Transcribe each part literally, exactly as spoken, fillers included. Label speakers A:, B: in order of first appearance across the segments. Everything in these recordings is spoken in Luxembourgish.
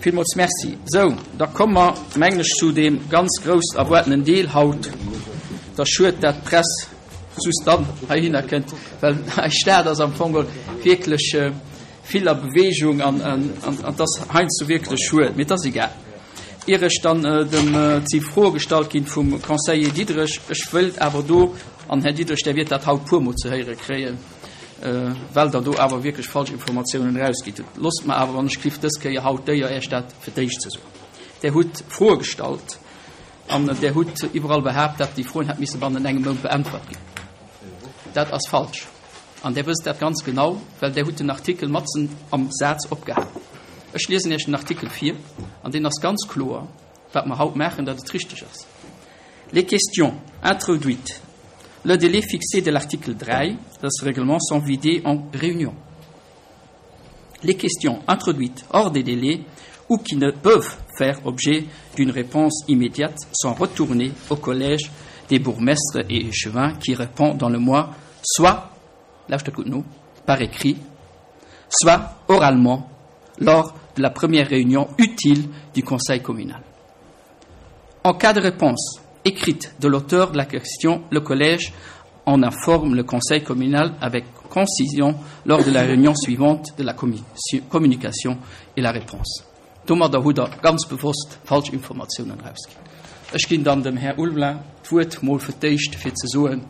A: Villmools Merci. Sou, da komme mer, mengen ech, zu deem ganz grouss erwaartenen Deel haut. Et ass schued, dat d'Press just dann heihinner kënnt, well eis Stad ass am Fong geholl wierklech vill a Bewegung an et ass heiansdo wierklech schued, mee et ass egal. Ier ech dann dem, et si Froe gestallt ginn vum Conseiller Diderich, ech wëilt awer do, an Här Diderich, Der wiert dat haut puermol ze héiere kréien, well Der do awer wierklech falsch Informatiounen erausgitt hutt. Loosst mer awer, wann ech giff, dës Kéier haut d'Éier, Iech dat fir d'éischt ze soen. Der hutt Froe gestallt an Der hutt iwwerall behaapt, datt déi Froen hätt misse bannent engem Mount beäntwert ginn. Dat ass falsch. An Der wësst dat ganz genau, well Der hutt den Artikel matzen am Saz opgehal. Ech liesen Iech den Artikel vir, an deen ass ganz kloer, wat mer haut maachen, datt et richteg ass. Les questions introduites le délai fixé de l'article dräi de ce règlement sont vidées en réunion. Les questions introduites hors des délais ou qui ne peuvent faire objet d'une réponse immédiate sont retournées au collège des bourgmestres et échevins qui répond dans le mois, soit, lauschtert gutt no, par écrit, soit oralement lors de la première réunion utile du conseil communal. En cas de réponse écrite de l'auteur de la question, le collège en informe le conseil communal avec concision lors de la réunion suivante de la communication et la réponse. Domadder hutt Der ganz bewosst falsch Informatiounen erausginn. Ech ginn dann dem Här Ulveling d'Wuert mol fir d'éischt fir ze soen,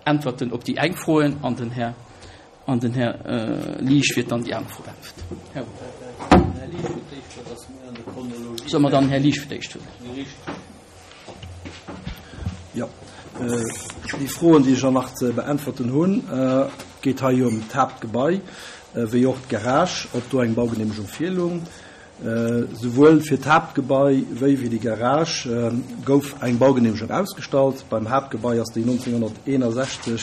A: Äntwerten op déi eng Froen an den Här an den Här Liesch wäert dann déi aner Fro beäntwerten. Här Ulveling. Solle mer dann den Här Liesch fir d'éischt huelen?
B: Jo, déi Froen, déi ech elo nach ze beäntwerten hunn, geet hei jo ëm d'Haaptgebai wéi och d'Garage, ob do eng Baugeneemegung virlung. Souwuel fir d'Haaptgebai wéi fir déi Garage gouf eng Baugeneemegung ausgestallt. Beim Haaptgebai ass déi nonzénghonnerteenasechzeg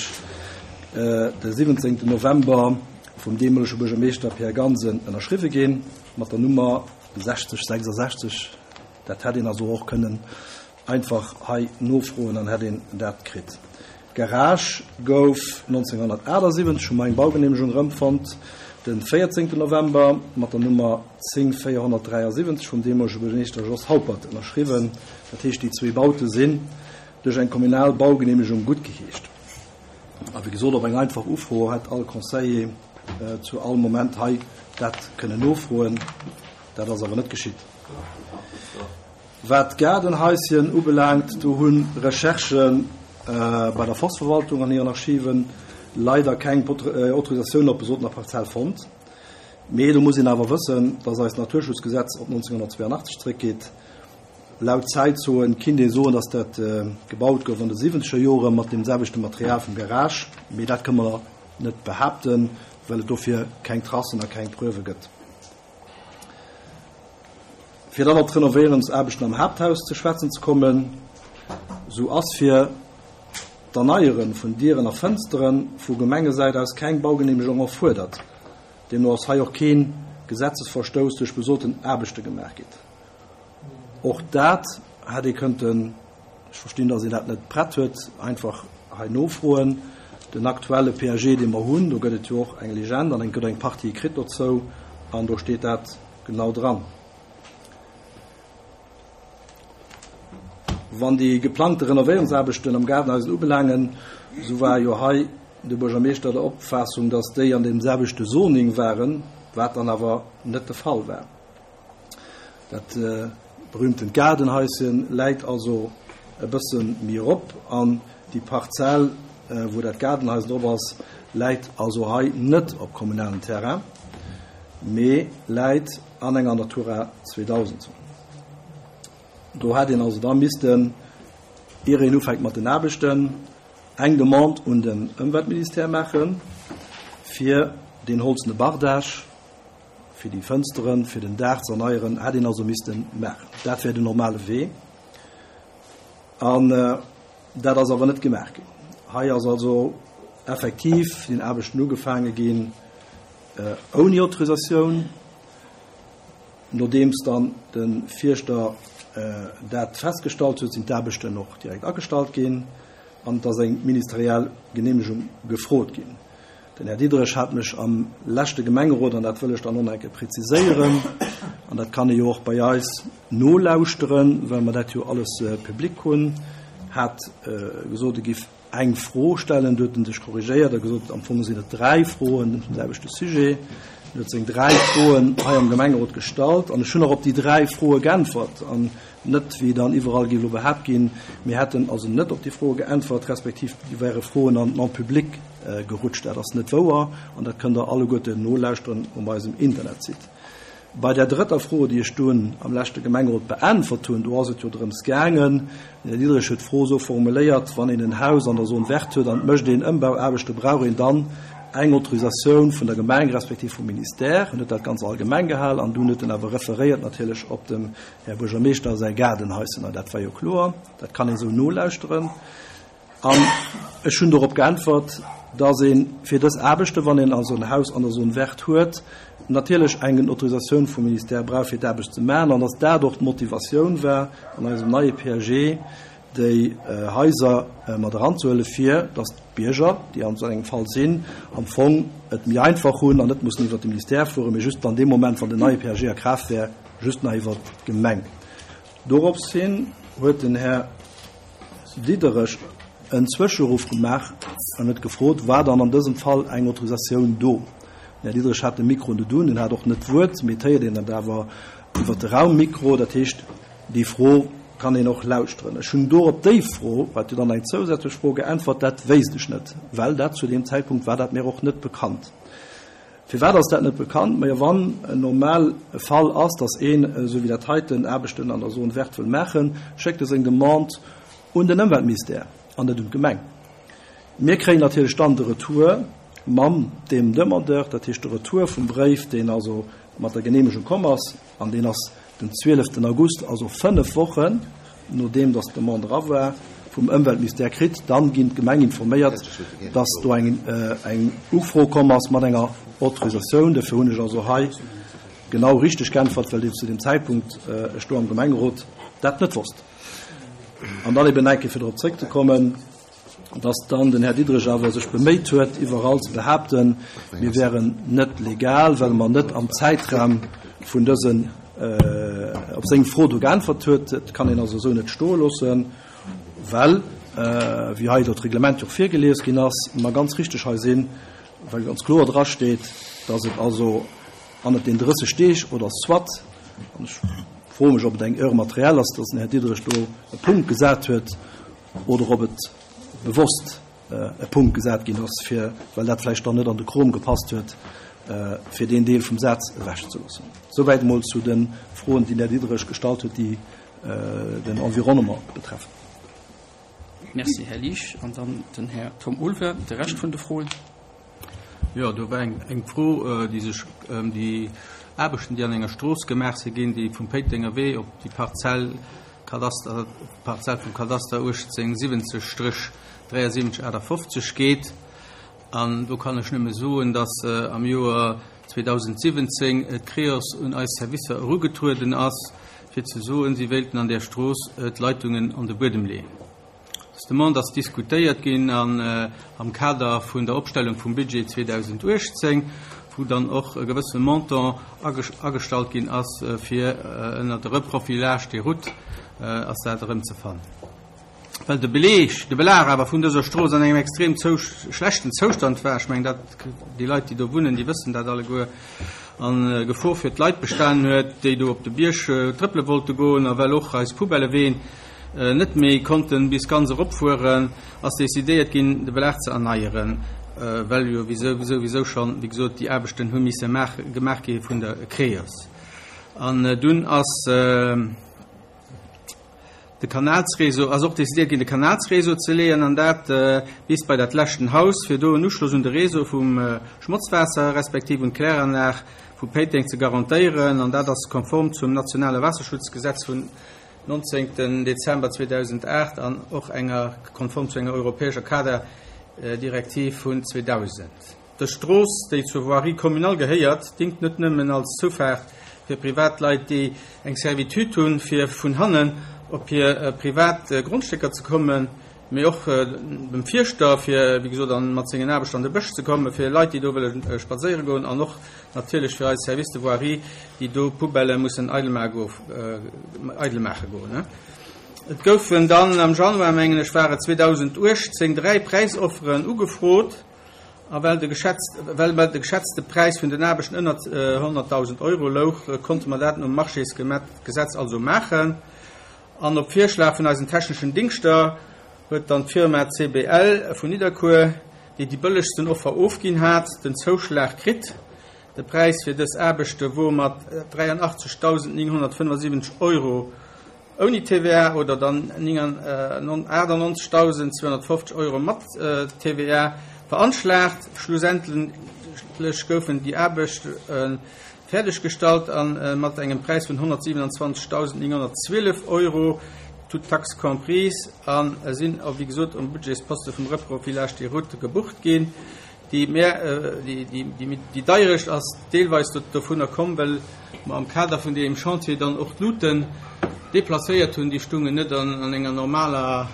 B: de siwwenzéngten November vum deemolege Buergermeeschter Pierre Gansen ënnerschriwwe ginn, mat der Nummer sechzeg sechsasechzeg. Dat hätt een also och kënnen einfach hei nofroen, dann hätt een dat kritt. D'Garage gouf nonzénghonnertaachtassiwwenzeg, hu mer eng Baugeneemegung erëmfonnt, de véierzéngten November mat der Nummer zéng véierhonnertdräiasiwwenzeg vum deemolege Buergermeeschter Jos Haupert ënnerschriwwen. Dat heescht, déi zwee Baute sinn duerch eng kommunal Baugeneemegung guttgeheescht. A wéi gesot, op eng einfach Ufro hätt all Conseiller zu all Moment hei dat kënnen nofroen. Dat ass awer net geschitt. Wat d'Gaardenhaischen ubelaangt, do hu Recherchë bei der Forstverwaltung an hiren Archiven leider keng Autorisatioun op besotener Parzell fonnt. Mee do muss een awer wëssen, dass eist Naturschutzgesetz op nonzénghonnertzweeanachtzeg zréckgeet. Laut Zäitzoen kinnt ee soen, dass dat gebaut gouf an de siwwenzeger Jore mat deem selwechte Material vum Garage, mee dat kënne mer net behaapten, well et dofir keng Tracen a keng Preuve gëtt. Fir dann op d'Renovéierungsaarbechten am Haapthaus ze schwätzen ze kommen, sou ass fir d'Erneiere vun Dieren a Fënstere vu Gemengesäit aus keng Baugeneemegung erfuerdert. Deemno ass hei och kee Gesetzesverstouss duerch besoten Aarbechte gemaach gitt. Och dat hätt ee kënnten, ech verstinn, datt een dat net prett huet, einfach hei nofroen. Den aktuelle P A G, dee mer hunn, do gëtt et jo och eng Legende an eng gëtt eng Partie écrite dozou an do steet dat genau dran. Wann déi geplangte Renovéierungsaarbechten am Gaardenhaus ubelaangen, sou war jo hei de Buergermeeschter der Opfaassung, datt déi an deem selwechte Zoning waren, wat dann awer net de Fall war. Dat berühmtent Gaardenhaischen läit also e bësse méi erop an déi Parzell, wou dat Gaardenhaus drop ass, läit also hei net op kommunalem Terrain, mee läit an enger Natura zweedausend Zon. Do hätt een also da missten, ier een ufänkt mat den Aarbechten, eng Demande un den Ëmweltministère maachen, fir deen holzene Bardage, fir déi Fënsteren, fir den Daach ze erneieren, hätt een also misste maachen. Dat wär den normale Wee. An dat ass awer net gemaach ginn. Hei ass also effektiv den Aarbechten ugefaange ginn ouni Autorisatioun. Nodeems dann de Fierschter dat festgestallt huet, sinn d'Aarbechten och direkt agestallt ginn an et ass eng ministeriell Geneemegung gefrot ginn. Den Här Diderich hat mech am leschte Gemengerot, an dat wëll ech dann och nach eng Kéier preziséieren, an dat kann ee jo och bei eis nolauschteren, well mer dat jo alles public hunn, hat gesot, e giff eng Fro stellen, du huet en sech korrigéiert a gesot, am Fong sinn et dräi Froen zum selwechte Sujet. En huet seng dräi Froen hei am Gemengerot gestallt an ech hunn och op déi dräi Froe geäntwert an net, wéi dann iwwerall géif elo behaapt ginn, mir hätten also net op déi Froe geäntwert, respektiv déi wäre Froen an d'Non publique gerutscht. Dat ass net wouer an dat kënnt Der alleguerten nolauschteren um eisem Internetsite. Bei där drëtter Fro, déi ech dunn am leschte Gemengerot beäntwert hunn, do ass et jo drëms gaangen, den Här Diderich huet d'Fro esou formuléiert, wann een en Haus an der Zone verte huet an et mécht een Ëmbauaarbechte, brauch een dann eng Autorisatioun vun der Gemeng respektiv vum Ministère. En huet dat ganz allgemeng gehal an dunn huet en awer referéiert natierlech op dem Här Buergermeeschter säi Gaardenhaissen. An dat war jo kloer, dat kann een esou nolauschteren. An ech hunn dorop geäntwert, dass ee fir dës Aarbechten, wann een also en Haus an der Zone verte huet, natierlech eng Autorisatioun vum Ministère brauch, fir d'Aarbecht ze maachen, an dass dat och d'Motivatioun war, an eisem neie P A G déi Haiser mat eranzehuelen, fir dass d'Bierger, déi an esou engem Fall sinn, am Fong et méi einfach hunn an net mussen iwwert de Ministère fueren, mee just dann dee Moment, wann den neie P A G a Kraaft wär, just nach iwwert d'Gemeng. Doropshin huet den Här Diderich en Zwëscheruff gemaach an huet gefrot, war dann an dësem Fall eng Autorisatioun do? Den Här Diderich hat de Mikro net un, en hat och net d'Wuert, mee et héiert een dat awer iwwer de Raummikro, dat heescht, déi Fro kann een och lauschteren. Ech hunn do op déi Fro, wat jo dann eng zousätzlech Fro, geäntwert, dat wéisst ech net, well dat zu deem Zäitpunkt war dat mir och net bekannt. Firwat ass dat net bekannt? Majo, wann en normal Fall ass, dass een, esou wéi dat heiten, Aarbechten an der Zone verte wëll maachen, schéckt e seng Demande un den Ëmweltministère an net un d'Gemeng. Mir kréien natierlech dann de Retour mam deem Demandeur, dat heescht de Retour vum Bréif, deen also mat der Geneemegung komm ass, an deen ass den zwieleften August, also fënnef Wochen nodeem dass d'Demande era war, vum Ëmweltministère kritt. Dann ginn d'Gemeng informéiert, dass do eng, eng Ufro komm ass mat enger Autorisatioun. Dofir hunn ech also hei genau richteg geäntwert, well zu dem Zäitpunkt ech do am Gemengerot dat net wosst. An dann eben eng Kéier fir dorob zréckzekommen, dass dann den Här Diderich awer sech beméit huet, iwwerall ze behaapten, mir wären net legal, well mer net am Zäitraum vun dësen, op seng Fro do geäntwert huet. Dat kann een also esou net stoe loossen, well, wéi hei dat Reglement jo virgelies ginn ass, mer ganz richteg hei sinn, well ganz kloer drasteet, dass et also hannert den drësseg Deeg oder soit, an ech froe mech, ob et eng Erreur matérielle ass, dass den Här Diderich do e Punkt gesat huet, oder ob et bewosst e Punkt gesat ginn ass, fir, well dat vläicht dann net an de Krom gepasst huet, fir deen Deel vum Saz ewechzeloossen. Souwäit emol zu de Froen, déi den Här Diderich gestallt huet, déi den Environnement betreffen.
A: Merci, Här Liesch. An dann den Här Tom Ulver, de Rescht vun de Froen.
C: Jo, do war eng, eng Fro, déi sech ëm déi Aarbechten, déi an enger Strooss gemaach si ginn, déi vum Péitenger Wee op déi Parzell, Kadaster, Parzell vum Kadaster uechtzéng siwwenzeg Stréch dräiasiwwenzeg achtafofzeg geet. An do kann ech nëmme soen, dass am Joer zweedausendsiwwenzéng d'Creos un eis Servicer erugetrueden ass, fir ze soen, si wéilten an där Strooss d'Leitungen an de Buedem leeën. Dës Demande ass diskutéiert ginn an am Kader vun der Opstellung vum Budget zweedausenduechtzéng, wou dann och e gewësse Montant agestallt ginn ass, fir ënner de Reprofilage des routes ass dat erëm ze fannen. Well de Beleg, de Belag awer vun dëser Strooss an engem extrem schlechten Zoustand war, ech mengen, dat, déi Leit, déi do wunnen, déi wëssen dat alleguer, an Gefor fir d'Leit bestanen huet, déi do op de Bierg trëppele wollte goen, a well och eis Poubelleween net méi konnten bis ganz eropfueren, ass decidéiert ginn, de Belag ze erneieren, well jo wieso, souwisou schonn, wéi gesot, déi Aarbechten hu misse gemaach gi vun der Creos. An dunn ass de Kanalsréseau, ass och decidéiert ginn, de Kanalsréseau ze leeën, an dat bis bei dat leschten Haus, fir do en Uschloss un de Réseau vum Schmotzwaasser respektiv un d'Kläranlag vu Péiteng ze garantéieren, an dat ass konform zum nationale Wasserschutzgesetz vun neunzehnten Dezember zweedausendaacht an och enger konform zu enger europäescher Kaderdirektiv vun zweedausend. Dës Strooss, déi zur Voirie communale gehéiert, dingt net nëmmen als Zufaart fir Privatleit, déi eng Servitude hunn, fir vun hannen op hir privat Grundstécker ze kommen, Mee och dem Fierschter, fir wéi gesot an mat sengen Aarbechter an de Bësch ze kommen, fir Leit, déi do wëlle spadséiere goen, an och natierlech fir eis Service de voirie, déi do Poubellë mussen eidel maache goen. Et goufen dann am Januar, mengen ech war et zweedausenduechtzéng, dräi Präisofferen ugefrot, a well de geschätzt, well de geschätzte Präis vun den Aarbechten ënnert honnertdausend Euro louch, konnte mer dat nom Marchésgesetz also maachen. An op Virschlag vun eisen techneschen Dingschter huet dann d'Firma C B L vun Nidderkuer, déi déi bëllegsten Offer ofginn hat, den Zouschlag kritt. De Präis fir dës Aarbechte wor mat dräianachtzegdausendnénghonnertfënnefasiwwenzeg Euro ouni T V A oder dann achtannonzegdausendzweehonnertfofzeg Euro mat T V A veranschlagt. Schlussendlech goufen déi Aarbechte fäerdeggestallt a mat engem Präis vun honnertsiwenanzwanzegdausendnénghonnertzwielef Euro, toutes taxes comprises, a sinn, wéi gesot, um Budgetsposte vum Reprofilage des routes gebucht ginn. Déi mehr, déi, déi, déi, déi Deierecht ass deelweis dovunner komm, well mer am Kader vun deem Chantier dann och d'Luten deplacéiert hunn, déi stungen net an, an enger normaler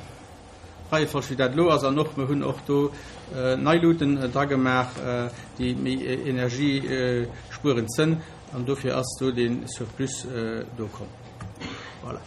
C: Reiefolg, wéi dat lo ass, an och mir hunn och do äh, nei Luten äh, dra gemaach, äh, déi méi energiespuerend sinn, an dofir ass do den Surplus äh, do komm. Voilà.